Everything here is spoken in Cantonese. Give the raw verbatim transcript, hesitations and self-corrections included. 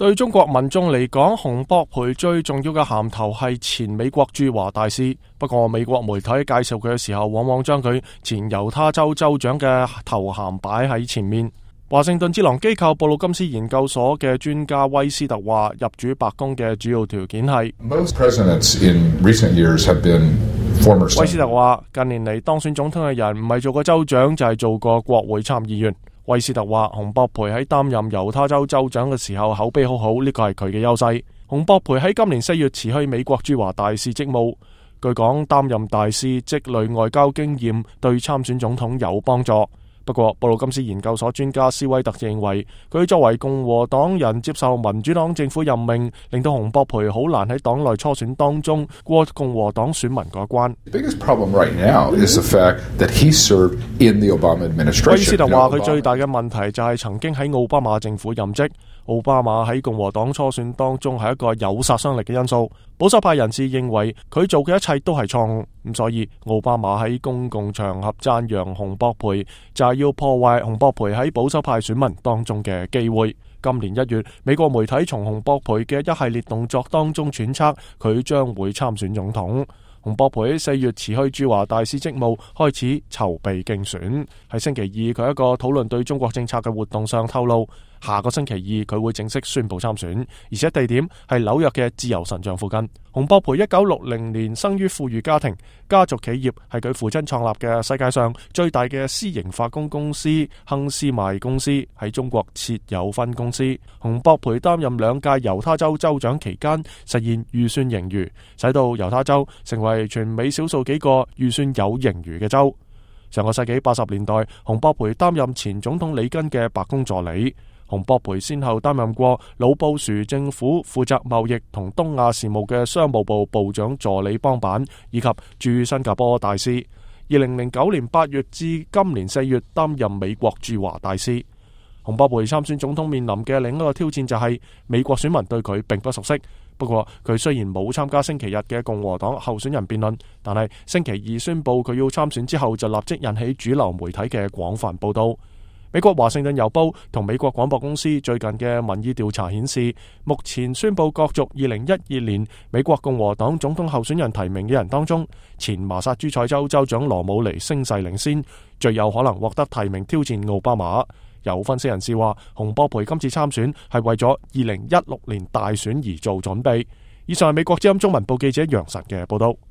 對中國民眾嚟講，洪博培最重要嘅銜頭係前美國駐華大使。不過美國媒體介紹佢嘅時候，往往將佢前猶他州州長嘅頭銜擺喺前面。華盛頓智囊機構布魯金斯研究所嘅專家威斯特話，入主白宮嘅主要條件係。威斯特話，近年嚟當選總統嘅人唔係做過州長，就係做過國會參議員。威斯特話，洪博培喺擔任猶他州州長嘅時候口碑好好，呢個係佢嘅優勢。洪博培喺今年四月辭去美國駐華大使職務，據講擔任大使積累外交經驗，對參選總統有幫助。不過布魯金斯研究所專家斯威特認為，佢作為共和黨人接受民主黨政府任命，令到洪博培好難喺黨內初選當中過共和黨選民嗰關。威斯特話，佢最大嘅問題就係曾經喺奧巴馬政府任職。奧巴馬喺共和黨初選當中係一個有殺傷力嘅因素，保守派人士認為佢做嘅一切都係錯誤，咁所以奧巴馬喺公共場合讚揚洪博培，就係要破壞洪博培喺保守派選民當中嘅機會。今年一月，美國媒體從洪博培嘅一系列動作當中揣測佢將會參選總統。洪博培喺四月辭去駐華大使職務，開始籌備競選。喺星期二，佢一個討論對中國政策嘅活動上透露，下個星期二佢會正式宣布參選，而且地點係紐約嘅自由神像附近。洪博培一九六零年生於富裕家庭，家族企業係佢父親創立嘅世界上最大嘅私營化工公司亨斯邁公司，喺中國設有分公司。洪博培擔任兩屆猶他州州長期間，實現預算盈餘，使到猶他州成為全美少數幾個預算有盈餘嘅州。上個世紀八十年代，洪博培擔任前總統里根嘅白宮助理。洪博培先後擔任過老布殊政府負責貿易同東亞事務嘅商務部部長助理幫辦，以及駐新加坡大使。二零零九年八月至今年四月擔任美國駐華大使。洪博培參選總統面臨嘅另一個挑戰就係美國選民對佢並不熟悉。不過佢雖然冇參加星期日嘅共和黨候選人辯論，但係星期二宣布佢要參選之後，就立即引起主流媒體嘅廣泛報道。美國華盛頓郵報同美國廣播公司最近嘅民意調查顯示，目前宣布角逐二零一二年美國共和黨總統候選人提名嘅人當中，前麻薩諸塞州州長羅姆尼聲勢領先，最有可能獲得提名挑戰奧巴馬。有分析人士話，洪博培今次參選係為咗二零一六年大選而做準備。以上係美國之音中文部記者楊晨嘅報道。